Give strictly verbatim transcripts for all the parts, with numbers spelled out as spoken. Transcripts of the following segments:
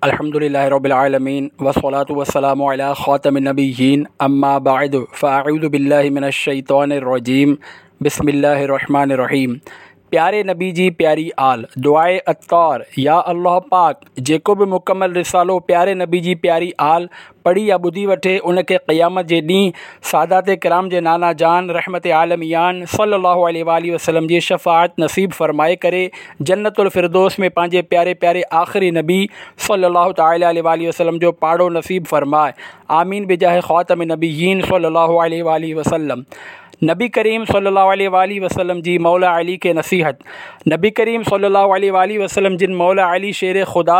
अल्हम्दुलिल्लाहि रब्बिल आलमीन वस्सलातु वस्सलामु अला ख़ातमिन नबिय्यीन अम्मा बअद फ़अऊज़ु बिल्लाहि मिनश शैतानिर रजीम बिस्मिल्लाहिर रहमानिर रहीम। प्यारे नबी जी प्यारी आल दुआए अत्तार। या अल्लाह पाक जेको बि मुकमल रिसालो प्यारे नबी जी प्यारी आल पढ़ी या ॿुधी वठे उनखे क़यामत जे ॾींहुं सादात किराम जे नाना जान रहमत आलमियान सल्लल्लाहु अलैहि वसल्लम जी शफ़ाअत नसीब फरमाए करे जन्नतुल फिरदौस में पंहिंजे प्यारे प्यारे आख़िरी नबी सल्लल्लाहु तआला अलैहि वसल्लम जो पाड़ो नसीब फरमाए। आमीन बिजाह ख़ातम नबिय्यीन सल्लल्लाहु अलैहि वसल्लम। नबी करीम सल्लल्लाहु अलैहि वसल्लम जी मौला अली के नसीहत। नबी करीम सल्लल्लाहु अलैहि वसल्लम जिन मौला अली शेर ख़ुदा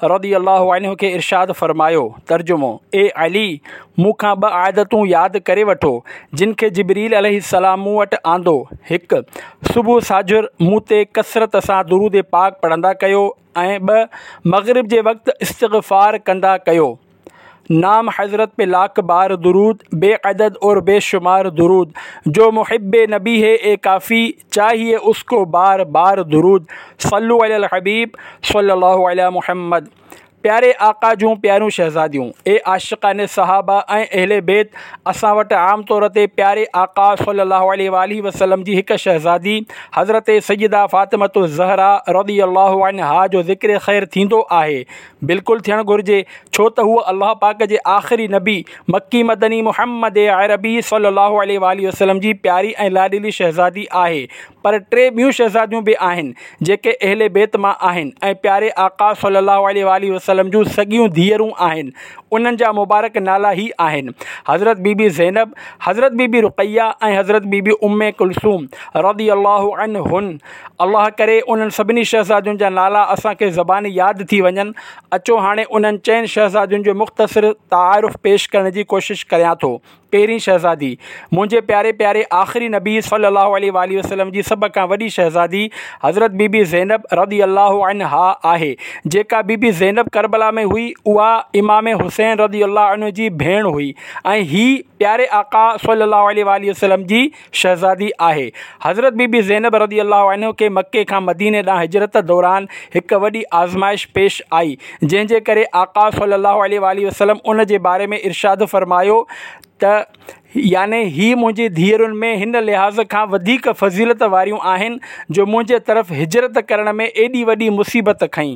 रदी अल्लाहु अन्हु खे इरशाद फरमायो। तर्जुमो: ए अली, मूंखां ॿ आदतूं यादि करे वठो जिन खे जिब्रील अलैहिस्सलाम मूं वटि आंदो। हिकु, सुबुह साझुर मूं ते कसरत सां दुरूद पाक पढ़ंदा कयो ऐं ॿ, मग़रिब जे वक़्तु इस्तिग़फ़ार कंदा कयो। नाम हज़रत पे लाख बार दुरूद, बेअदद और बेशुमार दुरूद। जो मुहिब्ब नबी है ए काफ़ी, चाहिए उसको बार बार दुरूद। सल्लु अलल हबीब सल्लल्लाहु अलैहि मुहम्मद। प्यारे आका जूं प्यारियूं शहज़ादियूं, ए आशिक़ान सहाबा ऐं अहले बैत, असां वटि आम तौर ते प्यारे आका सल्लल्लाहु अलैहि वसल्लम जी हिकु शहज़ादी हज़रत सैयदा फ़ातिमतु ज़हरा रज़ी अल्लाहु अन्हा जो ज़िक्र ख़ैर थींदो आहे। बिल्कुलु थियणु घुरिजे, छो त हूअ अल्लाह पाक जे आख़िरी नबी मक्की मदनी मुहम्मद अरबी सल्लल्लाहु अलैहि वसल्लम जी प्यारी ऐं लाॾिली शहज़ादी आहे। पर टे ॿियूं शहज़ादियूं बि आहिनि जेके अहले बैत मां आहिनि ऐं प्यारे आका सल्लल्लाहु अलैहि वसल्लम जूं सॻियूं धीअरूं आहिनि। उन्हनि जा मुबारक नाला ही आहिनि हज़रत बीबी ज़ैनब, हज़रत बीबी रुक़ैया ऐं हज़रत बीबी उम्मे कुलसूम रज़ी अल्लाहु अन्हुन। अल्लाह करे उन्हनि सभिनी शहज़ादियुनि जा नाला असांखे ज़बान यादि थी वञनि। अचो हाणे उन्हनि चइनि शहज़ादियुनि जो मुख़्तसिर तारुफ़ पेश करण जी कोशिशि करियां थो। पहिरीं शहज़ादी मुंहिंजे प्यारे प्यारे आख़िरी नबी सल्लल्लाहु अलैहि वसल्लम जी सभ खां वॾी शहज़ादी हज़रत बीबी ज़ैनब रज़ी अल्लाहु अन्हा आहे। जेका बीबी ज़ैनब करबला में हुई उहा इमाम हुसैन रज़ी अल्लाहु अन्हु जी भेण हुई ऐं ही प्यारे आका सल्लल्लाहु अलैहि वसल्लम जी शहज़ादी आहे। हज़रत बीबी ज़ैनब रज़ी अल्लाहु अन्हा खे मक्के खां मदीने ॾांहुं हिजरत दौरान हिकु वॾी आज़माइश पेश आई, जंहिंजे करे आका सल्लल्लाहु अलैहि वसल्लम उन जे बारे में इरशाद फरमायो त यानी ही मुंहिंजी धीअरुनि में हिन लिहाज़ खां वधीक फ़ज़ीलत वारियूं आहिनि जो मुंहिंजे तरफ़ हिजरत करण में एॾी वॾी मुसीबत खई।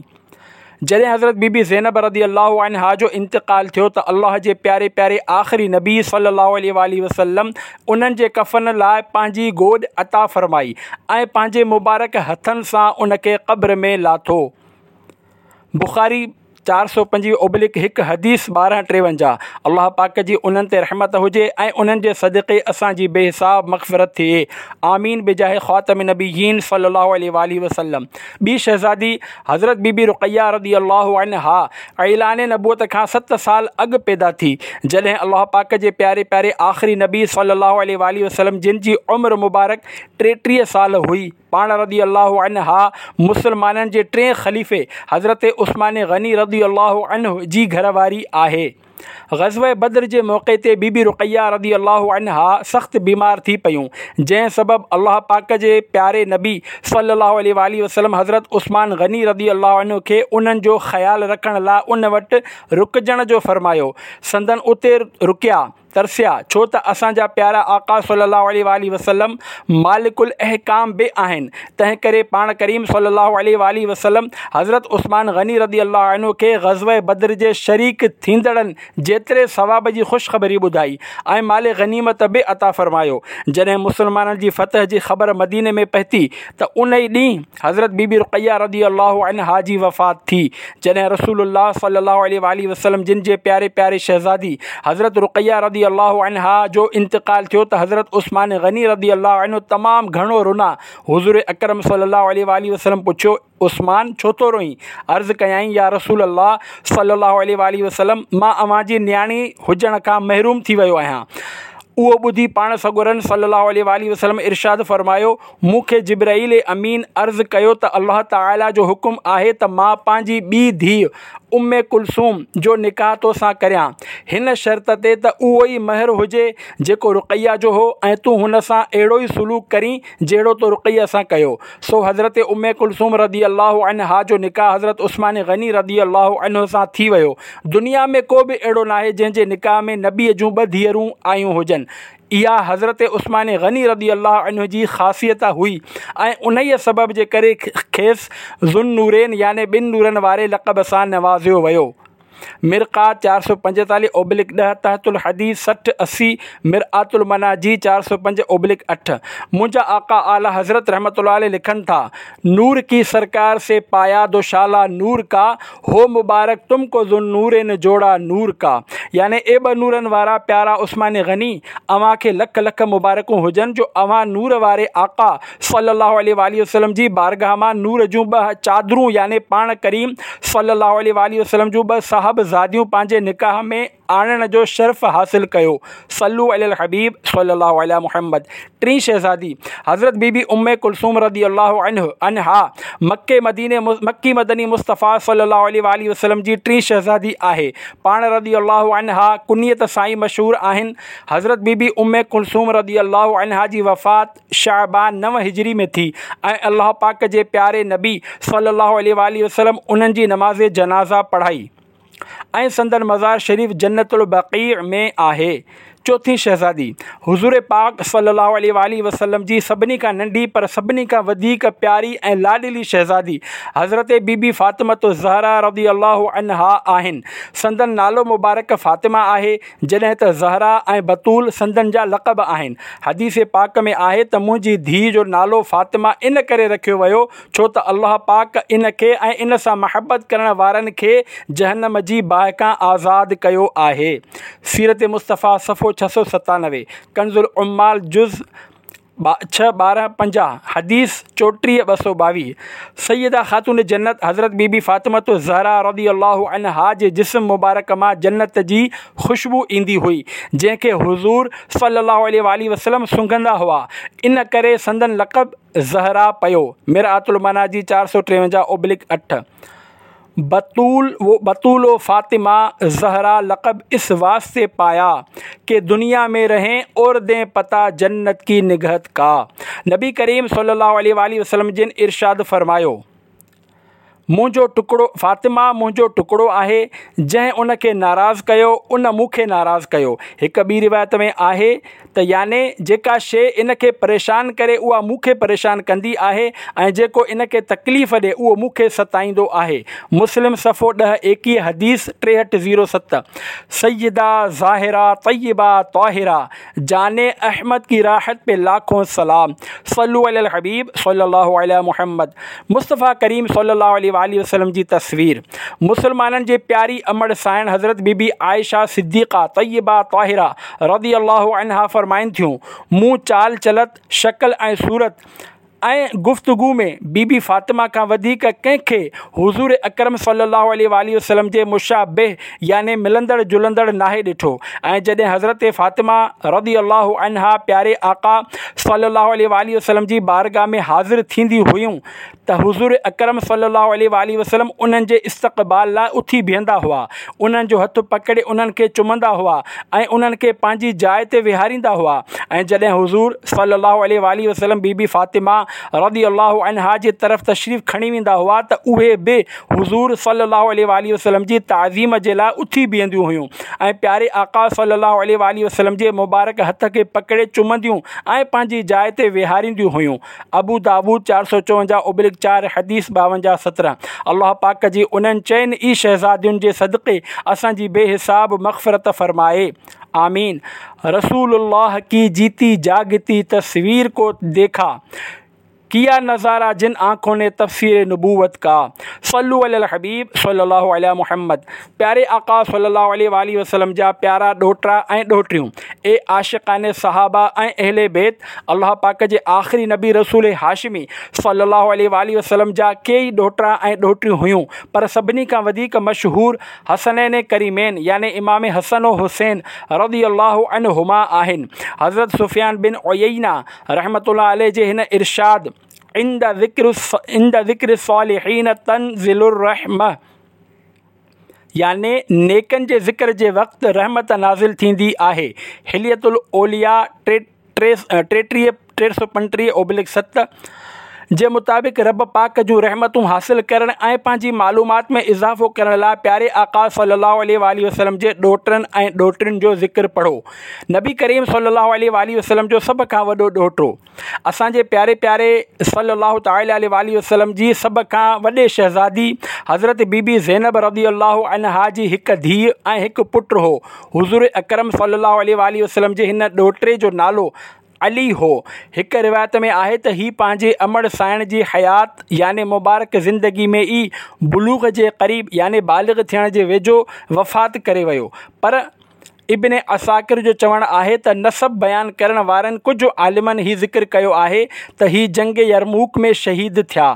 जॾहिं हज़रत बीबी ज़ैनब रज़ी अल्लाहु अन्हा जो इंतकाल थियो त अल्लाह जे प्यारे प्यारे आख़िरी नबी सल्लल्लाहु अलैहि वसल्लम उन्हनि जे कफ़न लाइ पंहिंजी गोॾ अता फरमाई ऐं पंहिंजे मुबारक हथनि सां उनखे क़ब्र में लाथो। बुखारी चार सौ पंजवीह ओब्लिक हिकु हदीस ॿारहं टेवंजाह। अल्लाह पाक जी उन्हनि ते रहमत हुजे ऐं उन्हनि जे सदक़े असांजी बेहिसाब मग़फ़िरत थिए। आमीन बिजाह ख़ातम नबिय्यीन सल्लल्लाहु अलैहि वसल्लम। ॿी शहज़ादी हज़रत बीबी रुक़ैया रज़ी अल्लाहु अन्हा ऐलान नबूअत खां सत साल अॻु पैदा थी, जॾहिं अल्लाह पाक जे प्यारे प्यारे आख़िरी नबी सल्लल्लाहु अलैहि वसल्लम जिन जी उमिरि मुबारक टेटीह साल हुई। पाण रज़ी अल्लाहु अन्हा मुसलमाननि जे टे ख़लीफ़े हज़रत उस्मान गनी रज़ी अल्लाहु अन्हु जी घरवारी आहे। ग़ज़वा बद्र जे मौक़े ते बीबी रुक़ैया रज़ी अल्लाहु अन्हा सख़्तु बीमार थी पयूं, जंहिं सबबु अल्लाह पाक जे प्यारे नबी सल्लल्लाहु अलैहि वसल्लम हज़रत उस्मान गनी रज़ी अल्लाहु अन्हु खे उन्हनि जो ख़्यालु रखण लाइ उन वटि रुकिजण जो फरमायो। संदन उते रुकिया तरसिया, छो त असांजा प्यारा आका सल्लल्लाहु अलैहि वसल्लम मालिकुल अहकाम बि आहिनि, तंहिं करे पाण करीम सल्लल्लाहु अलैहि वसल्लम हज़रत उस्मान गनी रज़ी अल्लाहु अन्हु खे ग़ज़वा बद्र जे शरीक थींदड़नि जेतिरे सवाब जी ख़ुशख़बरी ॿुधाई ऐं माल गनीमत बि अता फरमायो। जॾहिं मुसलमाननि जी फ़तह जी ख़बर मदीने में पहुती त उन ई ॾींहुं हज़रत बीबी रुक़ैया रज़ी अल्लाहु अन्हा जी वफ़ात थी। जॾहिं रसूलुल्लाह सल्लल्लाहु अलैहि वसल्लम जिन जे प्यारे प्यारे शहज़ादी हज़रत रुक़ैया रज़ी अल्लाहु अन्हा जो इंतकाल थियो त हज़रत उस्मान गनी रज़ी अल्लाहु अन्हु तमामु घणो रुना। हुज़ूर अकरम सल्लल्लाहु अलैहि वसल्लम पुछियो, उस्मान छो थो रोईं? अर्ज़ कयाईं, या रसूल अल्लाह सल्लल्लाहु अलैहि वसल्लम, मां अव्हां जी नियाणी हुजण खां महरूम थी वियो आहियां। उहो ॿुधी पाण सॻोरनि सल्लल्लाहु अलैहि वसल्लम इरशाद फरमायो, मूंखे जिब्राईल अमीन अर्ज़ कयो त अल्लाह तआला जो हुकुम आहे त मां पंहिंजी ॿी धीउ ام ڪلثوم جو نڪاح تو سان ڪريان، هن شرط تي ته اهو ئي مهر هجي جيڪو رقيه جو هو ۽ تون هن سان اهڙو ئي سلوڪ ڪرين جهڙو تو رقيه سان ڪيو. سو حضرت ام ڪلثوم رضي الله عنها جو نڪاح حضرت عثمان غني رضي الله عنه سان ٿي ويو. دنيا ۾ ڪو به اهڙو ناهي جنهن جي نڪاح ۾ نبيء جون ٻه ڌيئرون آيون هجن. اها حضرت عثمان غني رضي الله عنه جي خاصيت هئي ۽ انهيء سبب جي ڪري کيس ذوالنورين يعني ٻن نورن واري لقب سان نوازيو ويو. مرقات چار سؤ پنجيتاليهه اوبلڪ ڏهه، تحت الحديث سٺ اسي، مرآة المناجي چار سؤ پنج اوبلڪ اٺ. منهنجا آقا اعليٰ حضرت رحمة الله عليه لکن ٿا، نور ڪي سرڪار سي پايا دوشالا نور ڪا، هو مبارڪ تم ڪو ذوالنورين جوڙا نور ڪا. يعني اي ٻه نورن وارا پيارا عثمان غني! اوهان کي لک لک مبارڪون هجن جو اوهان نور واري آقا صلّي الله عليه واٰله وسلّم جي بارگاھ مان نور جون ٻه چادرون يعني پاڻ ڪريم صلّي الله عليه واٰله وسلّم جون ٻه صاحبزاديون پنهنجي نڪاح ۾ آڻڻ جو شرف حاصل ڪيو. صلو علی الحبيب صلي الله علي محمد. ٽين شهزادي حضرت بي بي ام ڪلثوم رضي الله عنه عنها مڪي مديني مڪي مدني مصطفيٰ صلي الله عليه واٰله وسلم جي ٽين شهزادي آهي. پاڻ رضي الله عنها ڪنيت سان ئي مشهور آهن. حضرت بي بي ام ڪلثوم رضي الله عنها جي وفات شعبان نو هجري ۾ ٿي ۽ الله پاڪ جي پياري نبي صلي الله عليه واٰله وسلم انهن جي نماز جنازه پڙهائي. ۽ سندن مزار شريف جنت البقيع ۾ آهي. چوٿين شهزادي، حضور پاڪ صلي الله عليه واٰله وسلم جي سڀني کان ننڍي پر سڀني کان وڌيڪ پياري ۽ لاڏلي شهزادي حضرت بي بي فاطمة الزهراء رضي الله عنها آهن. سندن نالو مبارڪ فاطمه آهي، جڏهن ته زهراء ۽ بتول سندن جا لقب آهن. حديث پاڪ ۾ آهي ته منهنجي ڌيء جو نالو فاطمه ان ڪري رکيو ويو ڇو ته الله پاڪ ان کي ۽ ان سان محبت ڪرڻ وارن کي جهنم جي باهه کان آزاد ڪيو آهي. سيرت مصطفيٰ صفحو ڇهه سؤ ستانوي، ڪنز العمال جز ڇهه ٻارهن پنجاهه، حديث چوٽيهه ٻه سؤ ٻاويهه. سيده خاتون جنت حضرت بي بي فاطمة الزهراء رضي الله عنها جي جسم مبارڪ مان جنت جي خوشبو ايندي هئي، جنهن کي حضور صلي الله عليه واٰله وسلم سونگهندا هئا، ان ڪري سندن لقب زهراء پيو، مرآة المناجي چار سؤ ٽيونجاهه اوبلڪ اٺ، بتول و بتول و فاطمه زهراء لقب اس واسطي پايا ڪه دنيا ۾ رهين اور دين پتا جنت ڪي نگهت ڪا. نبي ڪريم صلي الله عليه واٰله وسلم جن ارشاد فرمايو. منهنجو ٽڪڙو، فاطمه منهنجو ٽڪڙو آهي، جنهن ان کي ناراض ڪيو، ان مون کي ناراض ڪيو. هڪ ٻي روايت ۾ آهي ته يعني جيڪا شيء ان کي پريشان ڪري اها مون کي پريشان ڪندي آهي ۽ جيڪو ان کي تڪليف ڏي اهو مون کي ستائيندو آهي. مسلم صفحو ڏهه ايڪيهه حديث ٽيهٺ زيرو ست. سيده ظاهره طيبه طاهره جان احمد ڪي راحت پي لاکون سلام صلو علي الحبيب صلي الله علي محمد مصطفيٰ ڪريم صلي الله عليه واٰله وسلم جي تصوير مسلمانن جي پياري امڙ سائڻ حضرت بي بي عائشه صديقه طيبه طاهره رضي الله عنها فرمائن ٿيون مون چال چلت شڪل ۽ صورت ۽ گفتگو ۾ بي بي فاطمه کان وڌيڪ ڪنهن کي حضور اڪرم صلي الله عليه واٰله وسلم جي مشابه يعني ملندڙ جلندڙ ناهي ڏٺو ۽ جڏهن حضرت فاطمه رضي الله عنها پياري آقا صلي الله عليه واٰله وسلم جي بارگاھ ۾ حاضر ٿيندي هيون ته حضور اڪرم صلي الله عليه واٰله وسلم انهن جي استقبال لاء اٿي بيهندا هئا انهن جو هٿ پڪڙي انهن کي چمندا هئا ۽ انهن کي پنهنجي جاء تي ويهاريندا هئا ۽ جڏهن حضور صلي الله عليه واٰله وسلم بي بي فاطمه رضي الله عنها جي طرف تشريف کڻي ويندا هئا ته اهي به حضور صلي الله عليه واٰله وسلم جي تعظيم جي لاء اٿي بيهنديون هيون ۽ پياري آقا صلي الله عليه واٰله وسلم جي مبارڪ هٿ کي پڪڙي چمنديون ۽ پنهنجي جاء تي ويهارينديون هيون. ابو داوود چار سؤ چوونجاهه اوبلڪ چار، حديث ٻاونجاهه سترهن. الله پاڪ جي انهن چئن ئي شهزادين جي صدقي اسان جي بي حساب مغفرت فرمائي. آمين. رسول الله ڪي جيتي جاگتي تصوير ڪو ديکا ڪيا نظارا جن آنکون ني تفسير نبوت ڪا. صلو علي الحبيب صلي الله علي محمد. پياري آقا صلي الله عليه واٰله وسلم جا پيارا ڏوهٽا ۽ ڏوهٽيون، اي عاشقان صحابه ۽ اهل بيت، الله پاڪ جي آخري نبي رسول هاشمي صلي الله عليه واٰله وسلم جا ڪيئي ڏوهٽا ۽ ڏوهٽيون هيون پر سڀني کان وڌيڪ مشهور حسنين ڪريمين يعني امام حسن و حسين رضي الله عنهما آهن. حضرت سفيان بن عيينه رحمة الله عليه جي هن ارشاد عند ذڪر عند ذڪر الصالحين تنزل الرحمة. يعني نيڪن جي ذڪر جي وقت رحمت نازل ٿيندي آهي. حلية الاولياء ٽي ٽيٽيهه ٽي سؤ پنٽيهه اوبلڪ ست جي مطابق رب پاڪ جون رحمتون حاصل ڪرڻ ۽ پنهنجي معلومات ۾ اضافو ڪرڻ لاء پياري آقا صلي الله عليه واٰله وسلم جي ڏوهٽن ۽ ڏوهٽين جو ذڪر پڙهو. نبي ڪريم صلي الله عليه واٰله وسلم جو سڀ کان وڏو ڏوهٽو، اسان جي پياري پياري صلي الله تعالٰي عليه واٰله وسلم جي سڀ کان وڏي شهزادي حضرت بي بي زينب رضي الله عنها جي هڪ ڌيء ۽ هڪ پٽ هو. حضور اڪرم صلي الله عليه واٰله وسلم جي هن ڏوهٽي جو نالو علي هو. هڪ روايت ۾ آهي ته هي پنهنجي امڙ سائڻ جي حيات يعني مبارڪ زندگي ۾ ئي بلوغ جي قريب يعني بالغ ٿيڻ جي ويجهو وفات ڪري ويو، پر ابن عساڪر جو چوڻ آهي ته نسب بيان ڪرڻ وارن ڪجهه عالمن هي ذڪر ڪيو آهي ته هي جنگ يرموڪ ۾ شهيد ٿيا.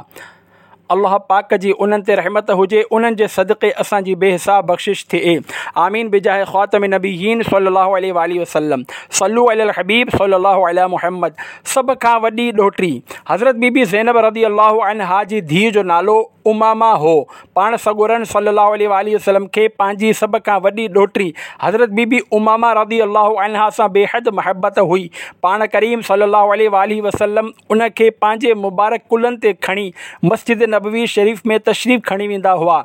الله پاڪ جي انهن تي رحمت هجي، انهن جي صدقي اسان جي بي حساب بخشش ٿئي، آمين بجاه خاتم النبيين صلي الله عليه واٰله وسلم. صلو علي الحبيب صلي الله علي محمد. سڀ کان وڏي ڏوهٽي حضرت بي بي زينب رضي الله عنها جي ڌيء جو نالو امامه هو. پاڻ سڳورن صلي الله عليه واٰله وسلم کي پنهنجي سڀ کان وڏي ڏوهٽي حضرت بي بي امامه رضي الله عنها سان بيحد محبت هئي. پاڻ ڪريم صلي الله عليه واٰله وسلم ان کي پنهنجي مبارڪ ڪلهن تي کڻي مسجد نبوي شريف ۾ تشريف کڻي ويندا هئا.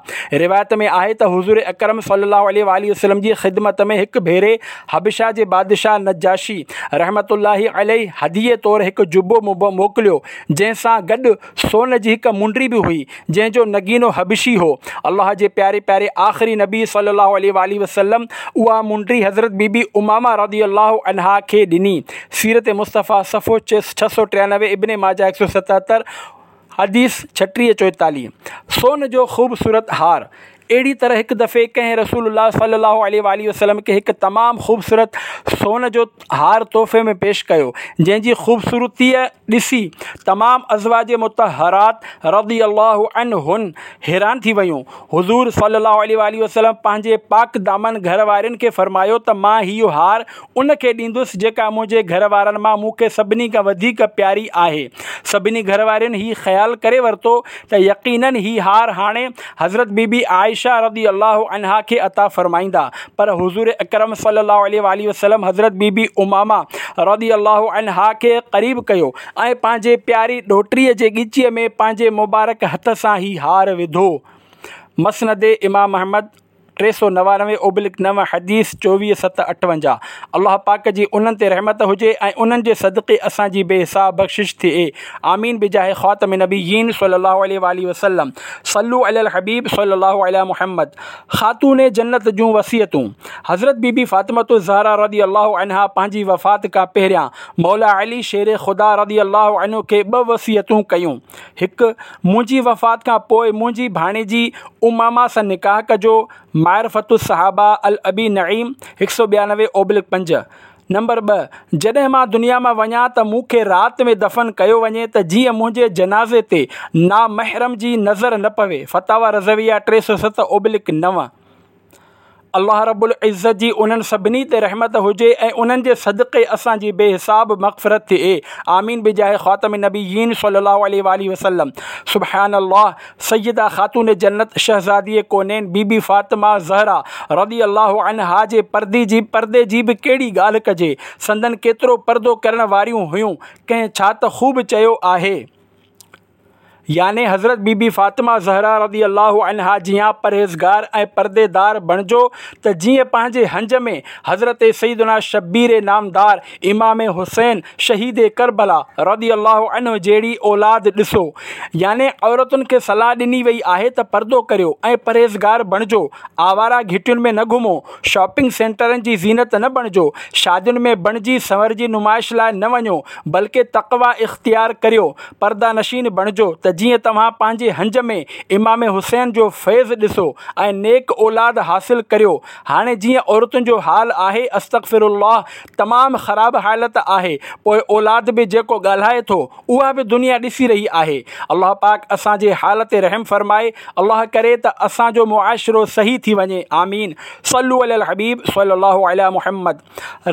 روايت ۾ آهي ته حضور اڪرم صلي الله عليه واٰله وسلم جي خدمت ۾ هڪ ڀيري حبشه جي بادشاهه نجاشي رحمة الله عليه هديي طور هڪ جبو موڪليو، جنهن سان گڏ سون جي هڪ منڊي به هئي، جنهن جو نگينو حبشي هو. الله جي پياري پياري آخري نبي صلي الله عليه واٰله وسلم اها منڊي حضرت بي بي امامه رضي الله عنها کي ڏني. سيرت مصطفيٰ صفحو ڇهه سؤ ٽيانوي، ابن ماجه هڪ سؤ ستهتر، حديث ڇٽيهه چوئيتاليهه. سون جو خوبصورت هار. اهڙي طرح هڪ دفعي ڪنهن رسول الله صلي الله عليه واٰله وسلم کي هڪ تمام خوبصورت سون جو هار تحفي ۾ پيش ڪيو، جنهن جي خوبصورتي ڏسي تمام ازواج مطهرات رضي الله عنهن حيران ٿي ويون. حضور صلي الله عليه واٰله وسلم پنهنجي پاڪ دامن گهر وارين کي فرمايو ته مان هيء هار ان کي ڏيندس جيڪا منهنجي گهر وارن مان مون کي سڀني کان وڌيڪ پياري آهي. سڀني گهر وارين هي خيال ڪري ورتو ته يقيناً هي هار هاڻي حضرت بي بي عائشه رضي الله عنها کي عطا فرمائيندا، پر حضور اڪرم صلي الله عليه واٰله وسلم حضرت بي بي امامه رضي الله عنها کي قريب ڪيو ۽ پنهنجي پياري ڏوهٽڙي جي ڳچيء ۾ پنهنجي مبارڪ هٿ سان هي هار وڌو. مسند امام احمد. ٽي سؤ نوانوي اوبلڪ نو، حديث چوويهه ست اٺونجاهه. الله پاڪ جي انهن تي رحمت هجي ۽ انهن جي صدقي اسان جي بي حساب بخشش ٿئي، آمين بجاه خاتم النبيين صلي الله عليه واٰله وسلم. صلو علي الحبيب صلي الله علي محمد. خاتون جنت جون وصيتون. حضرت بي بي فاطمة الزهرا رضي الله عنها پنهنجي وفات کان پهريان مولا علي شير خدا رضي الله عنه کي ٻه وصيتون ڪيون. هڪ، منهنجي وفات کان پوء منهنجي ڀاڻيجي امامه سان نڪاح ڪجو، معرفة الصحابه الابي نعيم، هڪ سؤ ٻيانوي اوبلڪ پنج. نمبر ٻه، جڏهن مان دنيا مان وڃان ته مون کي رات ۾ دفن ڪيو وڃي ته جيئن منهنجي جنازي تي نامحرم جي نظر نه پوي، فتاويٰ رضويه ٽي سؤ ست اوبلڪ نو. الله رب العزت جي انهن سڀني تي رحمت هجي ۽ انهن جي صدقي اسان جي بي حساب مغفرت ٿئي، آمين بجاه خاتم النبيين صلي الله عليه واٰله وسلم. سبحان الله سيده خاتون جنت شهزادي ڪونين بي بي فاطمه زهرا رضي الله عنها جي پردي جي پردي جي به ڪهڙي ڳالهه ڪجي، سندن ڪيترو پردو ڪرڻ واريون هيون، ڪنهن ڇا ته خوب چيو آهي. يعني حضرت بي بي فاطمه زهرا رضي الله عنها جيان پرهيزگار ۽ پرديدار بڻجو ته جيئن پنهنجي هنج ۾ حضرت سيدنا شبير نامدار امام حسين شهيد ڪربلا رضي الله عنه جهڙي اولاد ڏسو. يعني عورتن کي صلاح ڏني وئي آهي ته پردو ڪريو ۽ پرهيزگار بڻجو، آواره گهٽين ۾ نه گهمو، شاپنگ سينٽرن جي زينت نه بڻجو، شادين ۾ بڻجي سنورجي نمائش لاء نه وڃو، بلڪه تقويٰ اختيار ڪريو، پرده نشين بڻجو ته جيئن توهان پنهنجي هنج ۾ امام حسين جو فيض ڏسو ۽ نيڪ اولاد حاصل ڪريو. هاڻي جيئن عورتن جو حال آهي استغفر الله تمام خراب حالت آهي پوء اولاد به جيڪو ڳالهائي ٿو اها به دنيا ڏسي رهي آهي. الله پاڪ اسان جي حال تي رحم فرمائي الله ڪري ته اسان جو معاشرو صحيح ٿي وڃي آمين صلو علي الحبيب صلي الله علي محمد.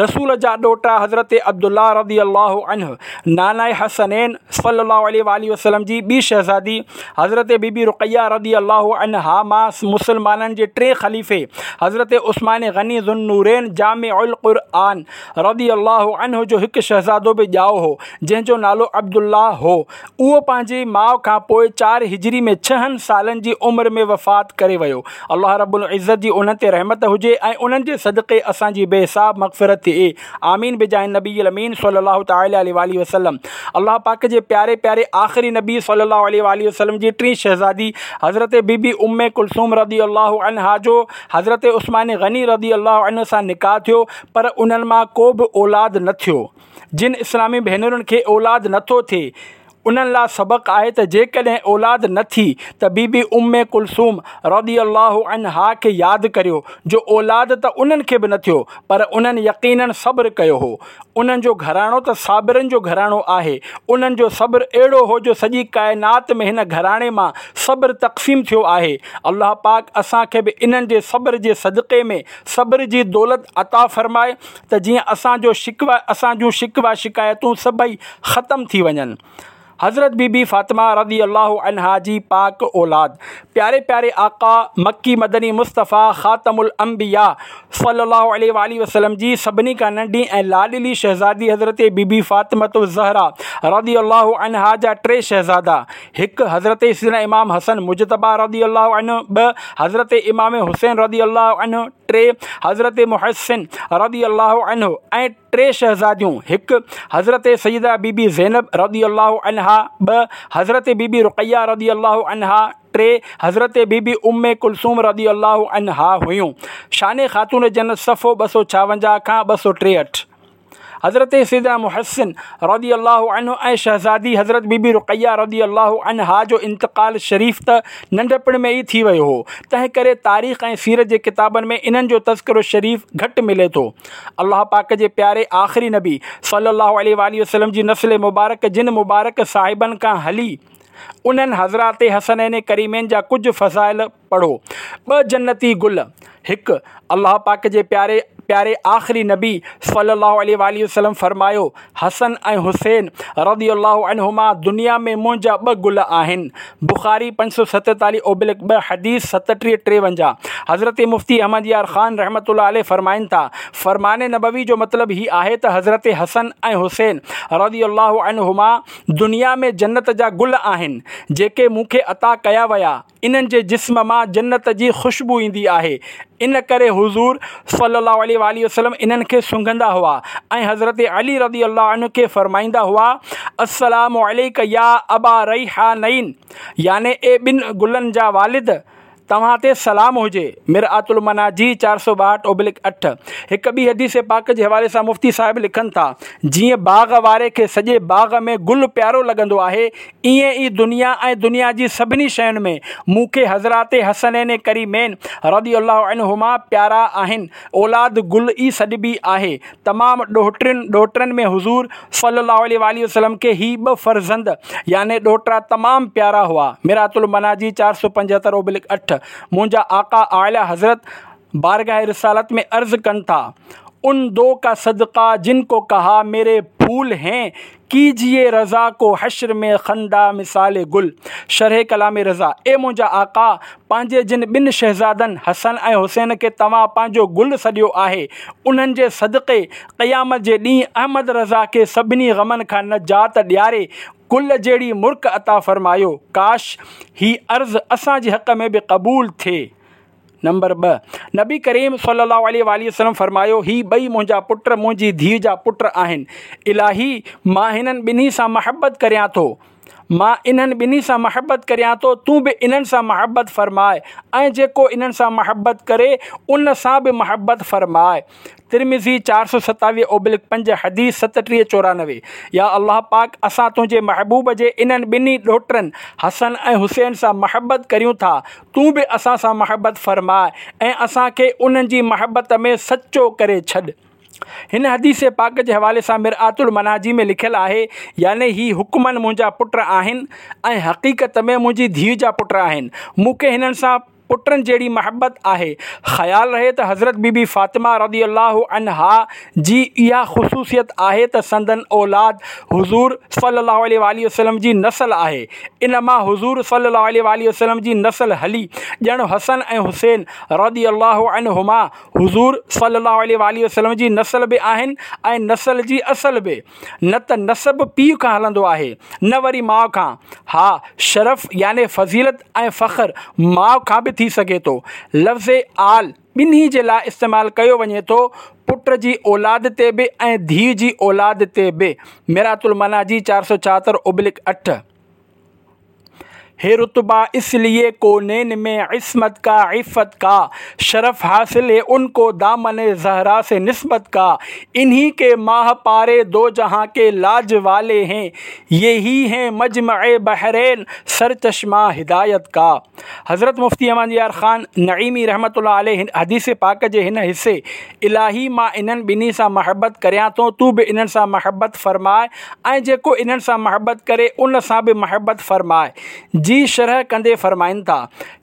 رسول جا ڏوهٽا حضرت عبدالله رضي الله عنه ناناء حسنين صلي الله عليه واٰله وسلم جي ٻي شهزادي حضرت بي بي رقيه رضي الله عنها مان مسلمانن جي ٽئين خليفي حضرت عثمان غني ذوالنورين جامع القرآن رضي الله عنه جو هڪ شهزادو به ڄائو هو، جنهن جو نالو عبدالله هو. اهو پنهنجي ماء کان پوء چار هجري ۾ ڇهن سالن جي عمر ۾ وفات ڪري ويو. الله رب العزت جي انهن تي رحمت هجي ۽ انهن جي صدقي اسان جي بي حساب مغفرت ٿئي. آمين بجاه النبي الامين صلي الله تعالي عليه واله وسلم. الله پاڪ جي پياري پياري آخري نبي صلي الله عليه واله وسلم جي ٽين شهزادي حضرت بي بي ام ڪلثوم رضي الله عنها جو حضرت عثمان غني رضي الله عنه سان نڪاح ٿيو، پر انهن مان ڪو به اولاد نه ٿيو. جن اسلامي ڀينرن کي اولاد نه ٿو ٿئي، انهن لا سبق آهي ته جيڪڏهن اولاد نه ٿي ته بي بي ام ڪلثوم رضي الله عنها کي ياد ڪريو، جو اولاد ته انهن کي به نه ٿيو، پر انهن يقيناً صبر ڪيو هو. انهن جو گهراڻو ته صابرن جو گهراڻو آهي. انهن جو صبر اهڙو هو جو سڄي ڪائنات ۾ هن گهراڻي مان صبر تقسيم ٿيو آهي. الله پاڪ اسان کي به انهن جي صبر جي صدقي ۾ صبر جي دولت عطا فرمائي ته جيئن اسان جو شڪوه اسان جون شڪوه شڪايتون سڀئي ختم ٿي وڃن. حضرت بي بي فاطمه رضي الله عنها جي پاڪ اولاد پياري پياري آقا مڪي مدني مصطفيٰ خاتم الانبياء صلي الله عليه واله وسلم جي سڀني کان ننڍي ۽ لاڏلي شهزادي حضرت بي بي فاطمه الزهرا رضي الله عنها جا ٽي شهزادا، هڪ حضرت سيدنا امام حسن مجتبيٰ رضي الله عنه، ٻه حضرت امام حسين رضي الله عنه، ٽي حضرت محسن رضي الله عنه ۽ ٽي شهزاديون، هڪ حضرت سيده بي بي زينب رضي الله عنها، ٻه حضرت بي بي رقيه رضي الله عنها، ٽي حضرت بي بي ام ڪلثوم رضي الله عنها هيون. شان خاتون جنت صفحو ٻه سؤ ڇاونجاهه کان ٻه سؤ ٽيهٺ. حضرت سيدنا محسن رضي الله عنه ۽ شهزادي حضرت بي بي رقيه رضي الله عنها جو انتقال شريف ته ننڍپڻ ۾ ئي ٿي ويو هو، تنهن ڪري تاريخ ۽ سيرت جي ڪتابن ۾ انهن جو تذڪرو شريف گهٽ ملي ٿو. الله پاڪ جي پياري آخري نبي صلي الله عليه واله وسلم جي نسل مبارڪ جن مبارڪ صاحبن کان هلي، انهن حضرات حسنين ڪريمين جا ڪجهه فضائل پڙهو. ٻه جنتي گل، هڪ، الله پاڪ جي پياري پياري آخري نبي صلي الله عليه واله وسلم فرمايو، حسن ۽ حسين رضي الله عنهما دنيا ۾ منهنجا ٻه گل آهن. بخاري پنج سؤ ستيتاليهه اوبلڪ ٻه، حديث ستٽيهه ٽيونجاهه. حضرت مفتي احمد يار خان رحمة الله عليه فرمائن ٿا، فرمان نبوي جو مطلب هي آهي ته حضرت حسن ۽ حسين رضي الله عنهما دنيا ۾ جنت جا گل آهن، جيڪي مون کي عطا ڪيا ويا. انهن جي جسم مان جنت جي خوشبو ايندي آهي، ان ڪري حضور صلي الله عليه واله وسلم انهن کي سونگهندا هئا ۽ حضرت علي رضي الله عنه کي فرمائيندا هئا، السلام عليڪ يا ابا ريحانين، يعني اي ٻن گلن جا والد، توهان تي سلام هجي. مرآة المناجي چار سؤ ٻاهٺ اوبلڪ اٺ. هڪ ٻي حديث پاڪ جي حوالي سان مفتي صاحب لکن ٿا، جيئن باغ واري کي سڄي باغ ۾ گل پيارو لڳندو آهي، ائين ئي دنيا ۽ دنيا جي سڀني شين ۾ مون کي حضرات حسنين ڪريمين رضي الله عنهما پيارا آهن. اولاد گل ئي سڏبي آهي. تمام ڏوهٽرين ڏوهٽرن ۾ حضور صلي الله عليه واٰله وسلم کي هي ٻه فرزند يعني ڏوهٽا تمام پيارا هئا. مرآة المناجي چار سؤ پنجهتر اوبلڪ اٺ. منهنجا آقا اعليٰ حضرت بارگاह رسالت ۾ عرض ڪن ٿا، ان دو کا صدقه جن کو کها ميري ڦول هين، ڪيجيي رضا کو حشر ۾ خنده مثال گل. شرح ڪلام رضا، اي منهنجا آقا! پنهنجي جن ٻن شهزادن حسن ۽ حسين کي توهان پنهنجو گل سڏيو آهي، انهن جي صدقي قيامت جي ڏينهن احمد رضا کي سڀني غمن کان نجات ڏياري گل جهڙي مرڪ عطا فرمايو. ڪاش! هي عرض اسان جي حق ۾ به قبول ٿئي. نمبر ٻه، نبي ڪريم صلي الله عليه واٰله وسلم فرمايو، هي ٻئي منهنجا پٽ منهنجي ڌيء جا پٽ آهن، الاهي مان هنن ٻنهي سان محبت ڪريان ٿو، مان انهن ٻنهي سان محبت ڪريان ٿو، تون به انهن سان محبت فرماء ۽ جيڪو انهن سان محبت ڪري ان سان به محبت فرماء. ترمذي چار سؤ ستاويهه اوبلڪ پنج، حديث ستٽيهه چورانوي. يا الله پاڪ اسان تنهنجي محبوب جي انهن ٻنهي ڏوهٽرن حسن ۽ حسين سان محبت ڪريون ٿا، تون به اسان سان محبت فرماء ۽ اسان کي انهن جي محبت ۾ سچو ڪري ڇڏ. هن حديث پاڪ جي حوالي سان مرآة المناجي ۾ لکيل آهي، يعني هي حڪمن منهنجا پٽ آهن ۽ حقيقت ۾ منهنجي ڌيء جا پٽ آهن، مون کي هنن سان پٽن جهڙي محبت آهي. خيال رهي ته حضرت بي بي فاطمه رضي الله عنها جي اها خصوصيت آهي ته سندن اولاد حضور صلي الله عليه وآله وسلم جي نسل آهي. ان مان حضور صلي الله عليه وآله وسلم جي نسل هلي ڄڻ حسن ۽ حسين رضي الله عنهما حضور صلي الله عليه وآله وسلم جي نسل به آهن ۽ نسل جي اصل به. نه ته نسب پيء کان هلندو آهي نه وري ماء کان. ها، شرف يعني فضيلت ۽ فخر ماء کان به ٿي سگهي ٿو. لفظ آل ٻنهي جي لاء استعمال ڪيو وڃي ٿو، پٽ جي اولاد تي به ۽ ڌيء جي اولاد تي به. مرآة المناجي چار سؤ ڇاهتر ابلڪ اٺ. है रुतबा इसलिए कौनैन में इस्मत का इफ़्फ़त का, शरफ़ हासिल है उनको दामन ज़हरा से निस्बत का। इन्हीं के माह पारे दो जहां के लाज वाले हैं, यही हैं मजमअ बहरैन सरचश्मा हिदायत का। हज़रत मुफ्ती अहमद यार ख़ान नईमी रहमतुल्लाह अलैह हदीस पाक जे हिन हिस्से इलाही मां इन्हनि ॿिन्ही सां महबत करियां थो, तूं बि इन्हनि सां महबत फरमाए ऐं जेको इन्हनि सां महबत करे उन सां बि महबत फरमाए जी शरह कंदे फरमाइनि था।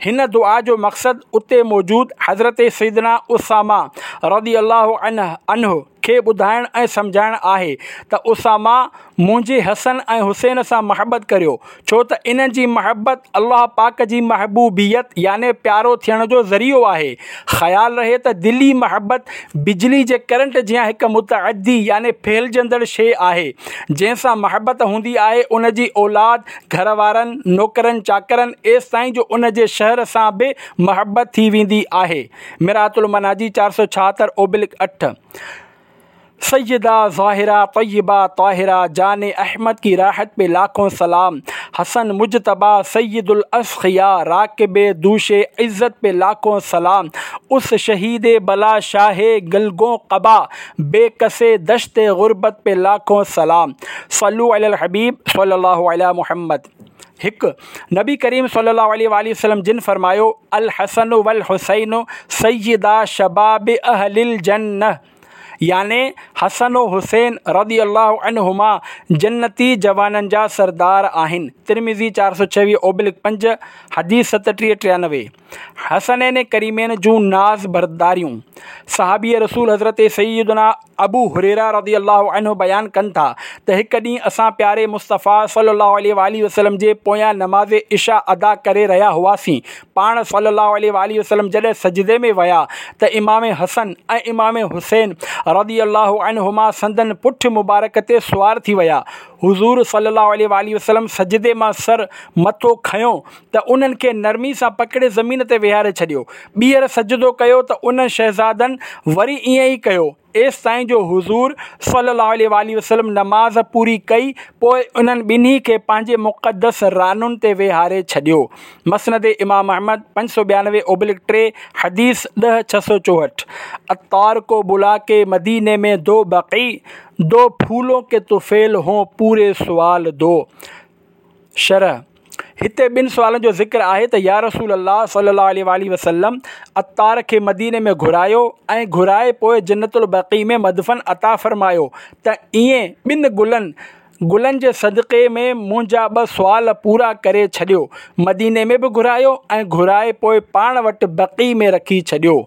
हिन दुआ जो मक़सदु उते मौजूद हज़रत सैदना उसामा रज़ी अल्लाह अन्हु खे ॿुधाइण ऐं सम्झाइण आहे त उसामा मुंहिंजे हसन ऐं हुसैन सां महबत करियो, छो त इन्हनि जी महबत अल्लाह पाक जी महबूबियत याने प्यारो थियण जो ज़रियो आहे। ख़्याल रहे त दिली महबत बिजली जे करंट जियां हिकु मुतअद्दी याने फैलिजंदड़ शइ आहे। जंहिंसां महबत हूंदी आहे उन जी औलाद, घर वारनि, नौकरनि चाकरनि, एसि ताईं जो उन जे शहर सां बि महबत थी वेंदी आहे। मिरातुल मनाजी चार सौ छाहतरि ओबिलिक अठ। सैयदा ज़ाहिरा तय्यबा ताहिरा जान अहमद की राहत पे लाखों सलाम। हसन मुजतबा सैयदुल अस्खिया राकिब दूशे इज़्ज़त पे लाखों सलाम। उस शहीद बला शाह गलगों कबा बेकसे दश्त गुरबत पे लाखों सलाम। सल्लु अलल हबीब सल्लल्लाहु अलैहि मुहम्मद। हिकु, नबी करीम सल्लल्लाहु अलैहि वसल्लम जिन फरमायो, अल हसन वल हुसैन सैयदा शबाब अहलिल जन्नह, याने हसन व हुसैन रज़ी अल्लाह अन्हुमा जन्नती जवाननि जा सरदार आहिनि। तिरमिज़ी चार सौ छवीह ओबिलिक पंज, हदीस सतटीह टियानवे। हसनैन करीमैन जूं नाज़ बरदारियूं। सहाबी रसूल हज़रत सैयदना अबू हुरैरा रज़ी अल्लाह अन्हु बयान कनि था त हिकु ॾींहुं असां प्यारे मुस्तफ़ा सल्लल्लाहु अलैहि वसल्लम जे पोयां नमाज़ इशा अदा करे रहिया हुआसीं। पाण सल्लल्लाहु अलैहि वसल्लम जॾहिं सजदे में विया त इमाम हसन ऐं इमाम हुसैन रज़ी अल्लाह अन्हुमा संदन पुठ मुबारक ते सुवार थी विया। हुज़ूर सल्लल्लाहु अलैहि वसल्लम सजदे मां सर मथो खयो त उन्हनि खे नरमी सां पकड़े ज़मीन ते विहारे छॾियो। ॿीहर सजदो कयो त उन शहज़ादनि वरी ईअं ई कयो, एसि ताईं जो हुज़ूर सल्लल्लाहु अलैहि वसल्लम नमाज़ पूरी कई, पोइ उन्हनि ॿिन्ही खे पंहिंजे मुक़दस रानुनि ते विहारे छॾियो। मसनद इमाम अहमद पंज सौ ॿियानवे ओबिलिक टे, हदीस ॾह छह सौ चोहठि। अत्तार को बुला के मदीने में दो बक़ी, दो फूलों के तुफ़ैल हों पूरे सवाल दो। शरह, हिते ॿिनि सुवालनि जो ज़िक्र आहे त या रसूल अल्लाह सल्लल्लाहु अलैहि वसल्लम अत्तार खे मदीने में घुरायो ऐं घुराए पोइ जन्नतुल बक़ी में मदफन अता फरमायो त ईअं ॿिनि गुलनि गुलनि जे सदक़े में मुंहिंजा ॿ सुवाल पूरा करे छॾियो। मदीने में बि घुरायो ऐं घुराए पोइ पाण वटि बक़ी में रखी छॾियो।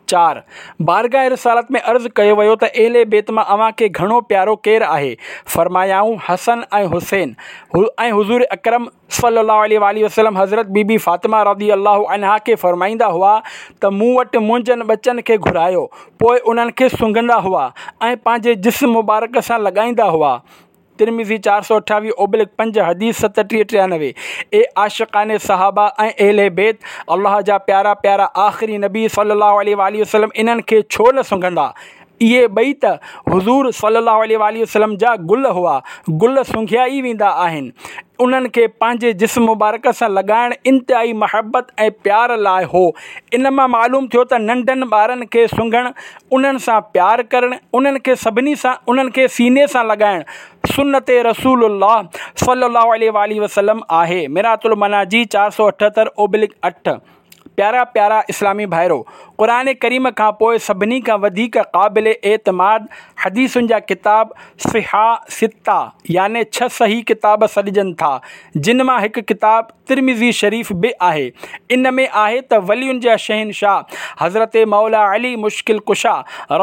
चार, बारगाह रिसालत में अर्ज़ कयो वियो त अहले बैत मां अव्हां खे घणो प्यारो केरु आहे? फरमायाऊं, हसन ऐं हुसैन। ऐं हुज़ूर अकरम सल्लल्लाहु अलैहि वसल्लम हज़रत बीबी फ़ातिमा रज़ी अल्लाह अन्हा खे फरमाईंदा हुआ त मूं वटि मुंहिंजनि ॿचनि खे घुरायो। पोइ उन्हनि खे सुंघंदा हुआ ऐं पंहिंजे जिस्म मुबारक सां लॻाईंदा हुआ। तिरमिज़ी चार सौ अठावीह ओबिलिक पंज, हदीस सतटीह टियानवे। ए आशिक़ान सहाबा ऐं अहले बैत, अल्लाह जा प्यारा प्यारा आख़िरी नबी सल्लल्लाहु अलैहि वसल्लम इन्हनि खे छो न सुंघंदा? इहे ॿई त हुज़ूर सल्लल्लाहु अलैहि वसल्लम जा गुल हुआ, गुल सुंघिया ई वेंदा आहिनि। उन्हनि खे पंहिंजे जिस्म मुबारक सां लॻाइण इंतिहाई महबत ऐं प्यार लाइ हो। इन मां मालूम थियो त नंढनि ॿारनि खे सुंघणु, उन्हनि सां प्यार करणु, उन्हनि खे सभिनी सां उन्हनि खे सीने सां लॻाइणु सुन्नत रसूलुल्लाह सल्लल्लाहु अलैहि वसल्लम आहे। मिरातुल मनाजी चार सौ अठहतरि ओबिलिक अठ। प्यारा प्यारा इस्लामी भाइरो, قرآن ڪريم کان پوءِ سڀني کان وڌيڪ قابل اعتماد حديثن جا ڪتاب صحاح سته يعني ڇهه صحيح ڪتاب سڏجن ٿا، جن مان هڪ ڪتاب ترمذي شريف به آهي. ان ۾ آهي ته ولين جا شهنشاهه حضرت مولا علي مشڪل ڪشا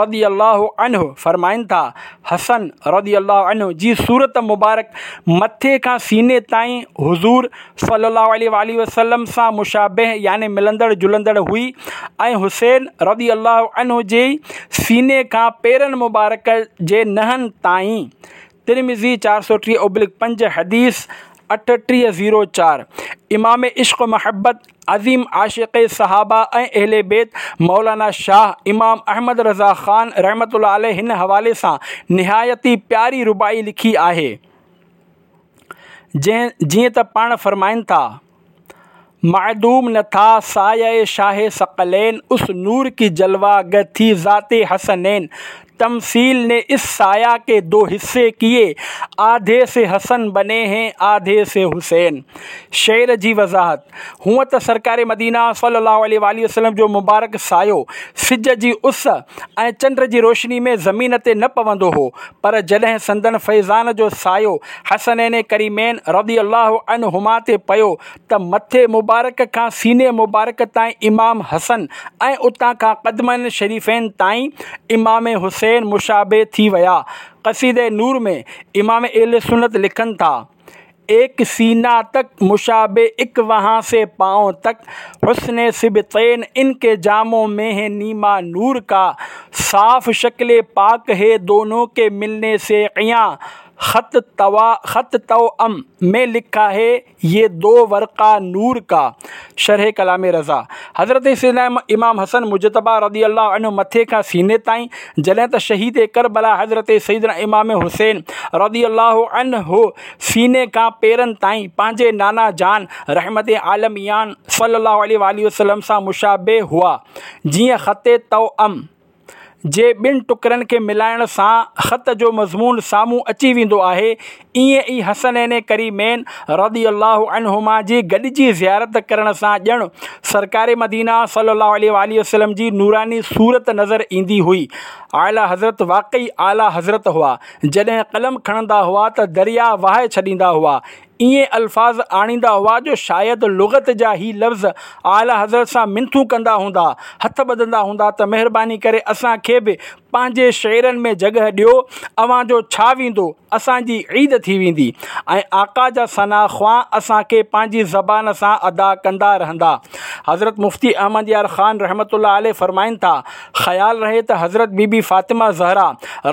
رضي الله عنه فرمائن ٿا، حسن رضي الله عنه جي صورت مبارڪ مٿي کان سيني تائين حضور صلي الله عليه وآله وسلم سان مشابه يعني ملندڙ جلندڙ هئي ۽ حسين رضي الله عنه جي سيني کان پيرن مبارڪ جي نهن تائين. ترمذي چار سؤ ٽيهه ابلڪ پنج، حديث اٺٽيهه زيرو چار. امام عشق و محبت، عظيم عاشق صحابه ۽ اهل بيت مولانا شاهه امام احمد رضا خان رحمة الله عليه هن حوالي سان نهايت ئي پياري رباعي لکي آهي، جيئن ته پاڻ فرمائن ٿا: معدوم نه ٿا سايه شاهه ثقلين، اس نور ڪي جلوه گه ٿي ذات حسنين، تمثيل ني اس سايه ڪي دو حصي ڪيي، آڌي سي حسن بني هين آڌي سي حسين. شعر جي وضاحت: هونء ته سرڪار مدينه صلي الله عليه وآله وسلم جو مبارڪ سايو سج جي اس ۽ چنڊ جي روشني ۾ زمين تي نه پوندو هو، پر جڏهن سندن فيضان جو سايو حسنين ڪريمين رضي الله عنهما تي پيو ته مٿي مبارڪ کان سيني مبارڪ تائين امام حسن ۽ اتان کان قدمن شريفين تائين امام حسين مشابه ٿي ويا. قصيده نور ۾ امام اهل سنت لکن ٿا: ايڪ سينه تڪ مشابه اڪ وهان سي پائون تڪ، حسن سبطين ان ڪي جامون ۾ هي نيما نور ڪا، صاف شڪل پاڪ هي دونون ڪي ملني سي عيان، خط توا خط توام ۾ لکا هي يه دو ورقه نور ڪا. شرح ڪلام رضا: حضرت سيدنا امام حسن مجتبيٰ رضي الله عنه مٿي کان سيني تائين، جڏهن ته شهيد ڪربلا حضرت سيدنا امام حسين رضي الله عنه سيني کان پيرن تائين پنهنجي نانا جان رحمت عالميان صلي الله عليه وآله وسلم سان مشابه هئا، جيئن خط توام جي ٻن ٽڪرن کي ملائڻ سان خط جو مضمون سامهون اچي ويندو آهي، ائين ئي حسنين ڪريمين رضي الله عنهما جي گڏجي زيارت ڪرڻ سان ڄڻ سرڪار مدينه صلي الله عليه وآله وسلم جي نوراني صورت نظر ايندي هئي. اعليٰ حضرت واقعي اعليٰ حضرت هئا، جڏهن قلم کڻندا هئا ته درياء وهائي ڇڏيندا هئا، ائين الفاظ آڻيندا هئا جو شايد لغت جا هي لفظ اعليٰ حضرت سان منٿون ڪندا هوندا، هٿ ٻڌندا هوندا ته مهرباني ڪري اسان کي به پنهنجي شعرن ۾ جڳهه ڏيو، اوهان جو ڇا ويندو، اسان جي عيد ٿي ويندي ۽ آقا جا ثنا خوان اسان کي پنهنجي زبان سان ادا ڪندا رهندا. حضرت مفتي احمد يار خان رحمة الله عليه فرمائن ٿا، خيال رهي ته حضرت بي بي فاطمه زهرا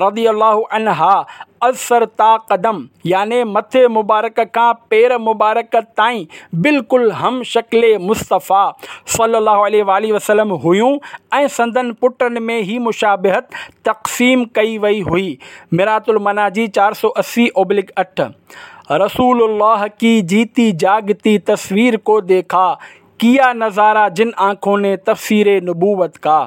رضي الله عنها از سر تا قدم يعني مٿي مبارڪ کان پير مبارڪ تائين بلڪل هم شڪل مصطفيٰ صلي الله عليه وآله وسلم هيون ۽ سندن پٽن ۾ هي مشابهت تقسيم ڪئي وئي هئي. مرات المناجي چار سؤ اسي اوبلڪ اٺ. رسول الله ڪي جيتي جاگتي تصوير ڪو ديکا، ڪيا نظاره جن آنکون ني تفسير نبوت ڪا.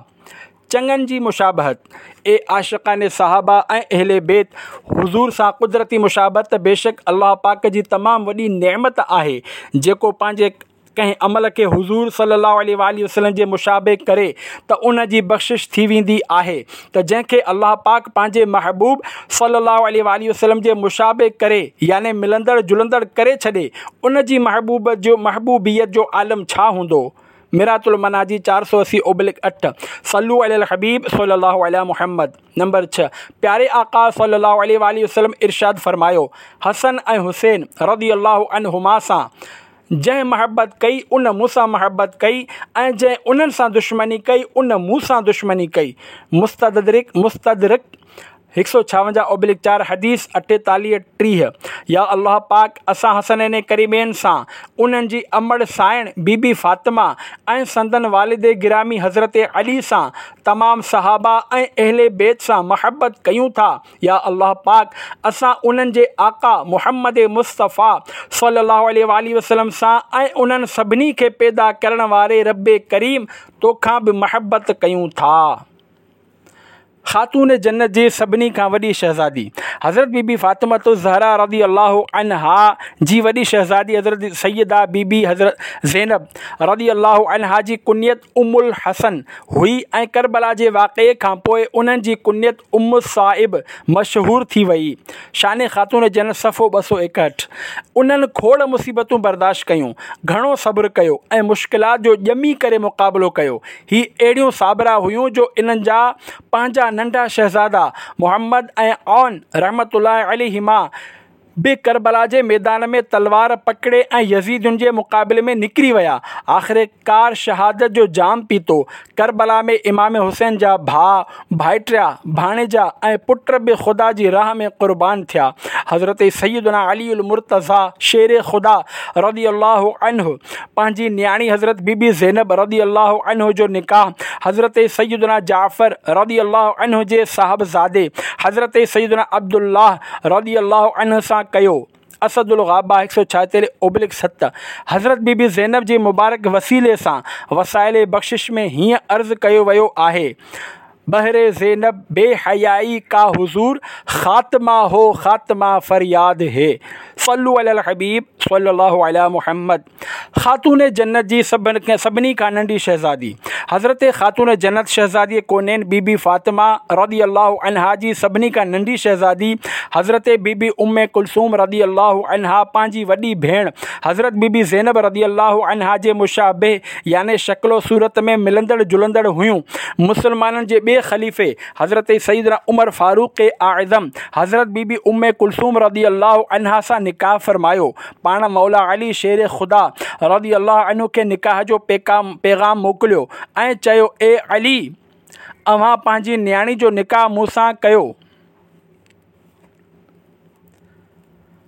چڱن جي مشابهت: اي عاشقان صحابه ۽ اهل بيت! حضور سان قدرتي مشابهت ته بيشڪ الله پاڪ جي تمام وڏي نعمت آهي، جيڪو پنهنجي ڪنهن عمل کي حضور صلي الله عليه وآله وسلم جي مشابه ڪري ته ان جي بخشش ٿي ويندي آهي ته جنهن کي الله پاڪ پنهنجي محبوب صلي الله عليه وآله وسلم جي مشابه ڪري يعني ملندڙ جلندڙ ڪري ڇڏي ان جي محبوب جو محبوبيت جو عالم ڇا هوندو. مرات المناجي چار سؤ اسي اوبلڪ اٺ. صلو علي الحبيب صلي الله علي محمد. نمبر ڇهه، پياري آقا صلي الله عليه وآله وسلم ارشاد فرمايو، حسن ۽ حسين رضي الله عنهما سان جنهن محبت ڪئي ان مون سان محبت ڪئي ۽ جنهن انهن سان دشمني ڪئي ان مون سان دشمني ڪئي. مستدرڪ مستدرڪ هڪ سؤ ڇاونجاهه اوبلڪ چار، حديث اٺيتاليهه ٽيهه. يا الله پاڪ اسان حسنين ڪريمين سان، انهن جي امڙ سائڻ بي بي فاطمه ۽ سندن والد گرامي حضرت علي سان، تمام صحابه ۽ اهل بيت سان محبت ڪيون ٿا. يا الله پاڪ اسان انهن جي آقا محمد مصطفيٰ صلي الله عليه واٰله وسلم سان ۽ انهن سڀني کي پيدا ڪرڻ واري رب ڪريم توکان به محبت ڪيون ٿا. خاتون جنت جي سڀني کان وڏي شهزادي حضرت بي بي فاطمة الزهرا رضي الله عنها جي وڏي شهزادي حضرت سيده بي بي حضرت زينب رضي الله عنها جي ڪنيت ام الحسن هئي ۽ ڪربلا جي واقعي کان پوء انهن جي ڪنيت ام الصائب مشهور ٿي وئي. شان خاتون جنت صفحو ٻه سؤ ايڪهٺ. انهن کوڙ مصيبتون برداشت ڪيون، گهڻو صبر ڪيو ۽ مشڪلات جو ڄمي ڪري مقابلو ڪيو. هي اهڙيون صابره هيون جو انهن جا پنهنجا ننڍا شهزادا محمد ۽ عون رحمة الله عليهما به ڪربلا جي ميدان ۾ تلوار پڪڙي ۽ يزيدين جي مقابلي ۾ نڪري ويا. آخرڪار شهادت جو جام پيتو. ڪربلا ۾ امام حسين جا ڀاء، ڀائٽيا، ڀاڻيجا ۽ پٽ به خدا جي راهه ۾ قربان ٿيا. حضرت سيدنا علي المرتضيٰ شير خدا رضي الله عنه پنهنجي نياڻي حضرت بي بي زينب رضي الله عنه جو نڪاح حضرت سيدنا جعفر رضي الله عنه جي صاحبزادي حضرت سيدنا عبدالله رضي الله عنه سان ڪيو. اسد الغابه هڪ سؤ ڇاهتاليهه اوبلڪ ست حضرت بي بي زينب جي مبارڪ وسيلي سان وسائل بخشش ۾ هيئن عرض ڪيو ويو آهي، بهر زينب بي حيائي ڪا حضور خاتمه هو خاتمه فرياد هي صلو علي الحبيب صلي الله علي محمد خاتون جنت جي سڀني کان ننڍي شهزادي حضرت خاتون جنت شهزادي ڪونين بي بي فاطمه رضي الله عنها جي سڀني کان ننڍي شهزادي حضرت بي بي ام ڪلثوم رضي الله عنها پنهنجي وڏي ڀيڻ حضرت بي بي زينب رضي الله عنها جي مشابه يعني شڪل و صورت ۾ ملندڙ جلندڙ هيون. مسلمانن جي ٻئي خليفي حضرت سيدنا عمر فاروق اعظم حضرت بي بي ام ڪلثوم رضي الله عنها سان نڪاح فرمايو. پاڻ مولا علي شير خدا رضي الله عنه کي نڪاح جو پيغام موڪليو ۽ چيو اي علي! اوهان پنهنجي نياڻي جو نڪاح مون سان ڪيو.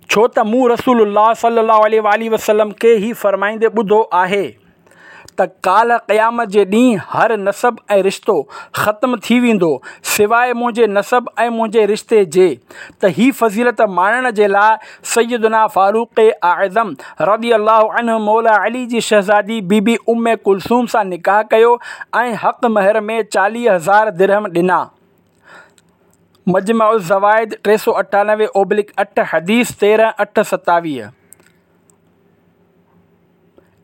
ڇو ته مون رسول الله صلي الله عليه واٰله وسلم کي هي فرمائيندي ٻڌو آهي ته ڪالهه قيامت جي ڏينهن هر نسب ۽ رشتو ختم ٿي ويندو سواء منهنجي نسب ۽ منهنجي رشتي جي ته هي فضيلت ماڻڻ جي لاء سيدنا فاروق اعظم رضي الله عنه مولا علي جي شهزادي بي بي ام ڪلثوم سان نڪاح ڪيو ۽ حق مهر ۾ چاليهه هزار درهم ڏنا. مجمع الزوائد ٽي سؤ اٺانوي اوبلڪ اٺ حديث تيرهن اٺ ستاويهه.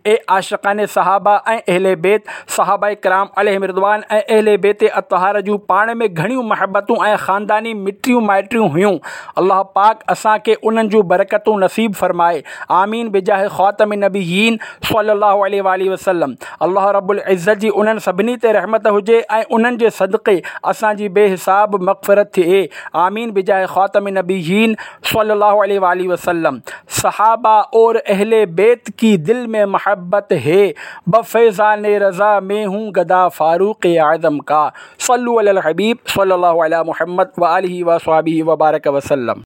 اي عاشقان صحابه ۽ اهل بيت! صحابه ڪرام عليهم الرضوان ۽ اهل بيت اطهار جون پاڻ ۾ گهڻيون محبتون ۽ خانداني مٽيون مائٽيون هيون. الله پاڪ اسان کي انهن جون برڪتون نصيب فرمائي. آمين بجاه خاتم النبيين صلي الله عليه واٰله وسلم. الله رب العزت جي انهن سڀني تي رحمت هجي ۽ انهن جي صدقي اسان جي بي حساب مغفرت ٿئي آمين بجاه خاتم النبيين صلي الله عليه واٰله وسلم. صحابه اور اهل بيت ڪي دل ۾ محبت هي بفيضان رضا مين هون گدا فاروق اعظم ڪا صلو علي الحبيب صلي الله علي محمد واٰله واصحابه وبارڪ وسلم.